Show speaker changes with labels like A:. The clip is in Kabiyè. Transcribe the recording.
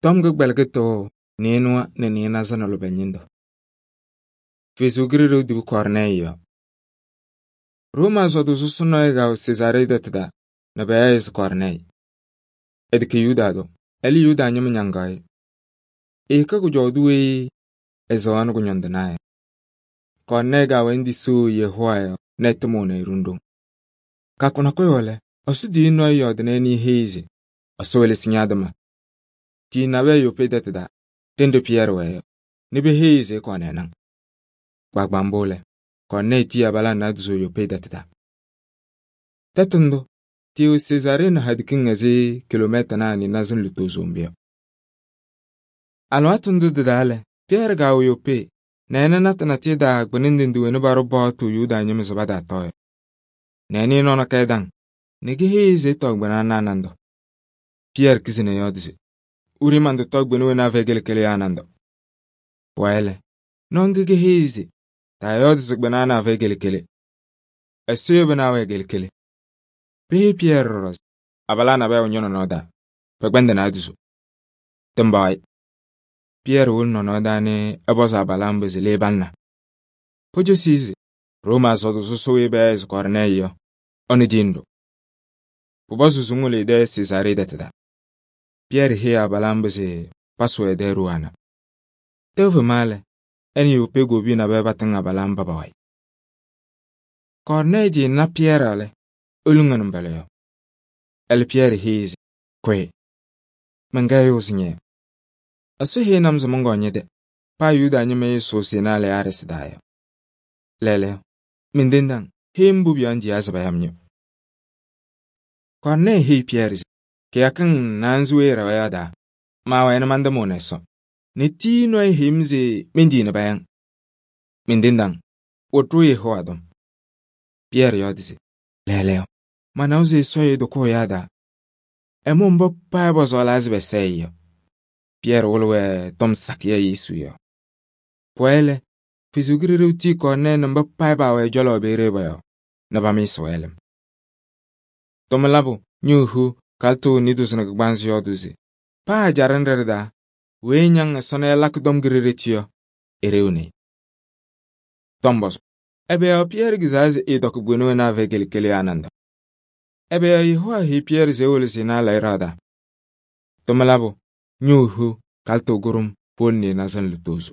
A: Tɔm kɩgbɛlɩkɩtʋ nɩɩnʋwa nɛ nɩɩnaza nɛ lʋbɛ ñɩndʋ. Ɛsɔ Kalɩzaɣ tibu Kɔɔrnɛɛyɩ yɔ. Rooma sɔtʋ sɔsɔ nɔɔyʋ kɛwɛ Sezaaree tɛtʋ taa nɛ payaɣ-ɩ se Kɔɔrnɛɛyɩ. Ɛtɛkɛ Yuda tʋ, ɛlɛ Yuda ñɩma ñaŋaɣ-ɩ. Ɛɛkɛ kʋjɔʋdʋ weyi ɛsɛɣnɩ kʋñɔndɩnaa yɔ. Kɔɔrnɛɛyɩ kɛwɛ ñetisiɣ Yehowa yɔɔ nɛ ɛtɩmʋʋnɩ-ɩ ɖoŋ-ɖoŋ. Kɩyakʋ nakʋyʋ lɛ, Ɛsɔ tiyiyu nɔɔyʋ yɔɔdɩnɩ ɛ nɛ eheyi-i se Ɛsɔ welesi ña-tɩma. Tiyi nabɛyɛ Yopee tɛtʋ taa, ɖenɖe Pɩyɛɛrɩ wɛɛ yɔ, nɛ peheyi-i se ɛkɔɔ ɛnaŋ. Kpaagbaa mbʋ lɛ, Kɔɔrnɛɛyɩ tiyi abalaa naadozo Yopee tɛtʋ taa. Tɛtʋ ndʋ, tɩɩwɛ Sezaaree nɛ haɖikiŋ ɛzɩ kilomɛtanaa nɩɩnaza lutozo mbʋ yɔ. Alɩwaatʋ ndʋ tɩ-taa lɛ, Pɩyɛɛrɩ kɛwɛ Yopee nɛ ɛna natʋ natʋyʋ taa kpɩnɛ ndɩ wena paɖʋ paɣtʋ Yuda ñɩma se pataatɔɔ yɔ. Nɛ ɛnɩ nɔɔ nakɛyɛ daŋ nɛ keheyi-i se ɛtɔɔ kpɩna ana a-nandʋ. Pɩyɛɛrɩ kizi nɛ yɔɔdɩ se: “Wiri man-tɔtɔ kpɩna wena afɛyɩ kele-kele yɔ a-nandʋ.” Pʋwayɩ lɛ, nɔɔ ŋga keheyi-i se: “Taayɔɔdɩ se kpɩna ana afɛyɩ kele-kele. Ɛsɔ yebi nɛ awɛɛ kele-kele.” Peheyi Pɩyɛɛrɩ ɖɔɖɔ se: “Abalaa nabɛyɛ wɛ ñɔ-nɔnɔɔ taa, pɛkpɛndɩ naadozo.” Tɩmbaɣ-ɩ. Pɩyɛɛrɩ wolo nɔnɔɔ taa nɛ ɛpɔzɩ abalaa mba se le palɩna. Pocosi-i se Rooma sɔtʋ sɔsɔ weyi payaɣ se Kɔɔrnɛɛyɩ yɔ, ɛnʋ tiyini-ɖʋ. Pʋpɔzɩ se ŋwolo ɛ-tɛ Sezaaree tɛtʋ taa. Pɩyɛɛrɩ heyi abalaa mba se pasʋ ɛ-tɛ ɖooo ana. Tɛʋ fema lɛ, ɛ nɛ Yopee kobiye nabɛyɛ patɩŋ abalaa mba pa-wayɩ. Kɔɔrnɛɛyɩ tɩɩna Pɩyɛɛrɩ lɛ, eluŋ ɛ-nɩmbɔla yɔɔ. Ɛlɛ Pɩyɛɛrɩ heyi-i se: “Kʋyɩ, mɛnkɛyɩɣzɩ ñɛ-yɔ. Ɛsɔ heyini-m se mɔnkɔɔ ñɛ-tɛ, paa Yuda ñɩma ɛɛsʋʋ Senaa Lɛɛyaɖɩsɩ taa yɔ. Lɛɛlɛɛyɔ, mentendiɣ-ŋ, heyi-m mbʋ pʋyɔɔ ŋtiyaa se paya-m ñɔ.” Kɔɔrnɛɛyɩ heyi Pɩyɛɛrɩ se: “Kɩyakɩŋ naanza weyi ɛɛɖɛwa yɔ taa, maawɛɛ nɛ mantɩmʋʋnɩ Ɛsɔ, nɛ tiyiyu nɔɔyʋ heyi-m se mentii nɛ paya-ŋ. Mentendiɣ-ŋ, wɩlɩ-ɖʋ Yehowa tɔm.” Pɩyɛɛrɩ yɔɔdɩ se: “Lɛɛlɛɛyɔ, manawa se Ɛsɔ ɛɛtɔkɔɔ ɛyaa taa, ɛmʋʋ mba paa pɔsɔɔlaa se pɛsɛɛ-ɩ yɔ.” Pɩyɛɛrɩ wɩlɩ-wɛ tɔm sakɩyɛ Yesu yɔɔ. Pʋwayɩ lɛ, Ɛsɔ Kalɩzaɣ tiyi Kɔɔrnɛɛyɩ nɛ mba paa paawɛ ɛ-cɔlɔ peeye pɔ-yɔɔ nɛ pamɩɩsɩ-wɛ lɩm. Tʋmlabu ñohu kalɩtʋ nɩɩdozo nɛ kɩgbaanzɩ yɔɔdʋʋ se paa ajaɖɛ nɖɩ ɖɩ-taa, weyi ñaŋ Ɛsɔ nɛ ɛlakɩ tɔm ki-ɖeɖeti yɔ, eɖeɣni-i. Tɔmbɔzʋ, ɛbɛ yɔɔ Pɩyɛɛrɩ kɩzaa se ɛɛtɔkɩ kpɩna wena afɛyɩ kele-kele yɔ a-nandʋ? Ɛbɛ yɔɔ Yehowa heyi Pɩyɛɛrɩ se ewolo Senaa Lɛɛyɩɖɩɣa taa? Tʋmlabu ñohu kalɩtʋ kʋɖʋm powolo nɩɩnaza nɛ lutozo.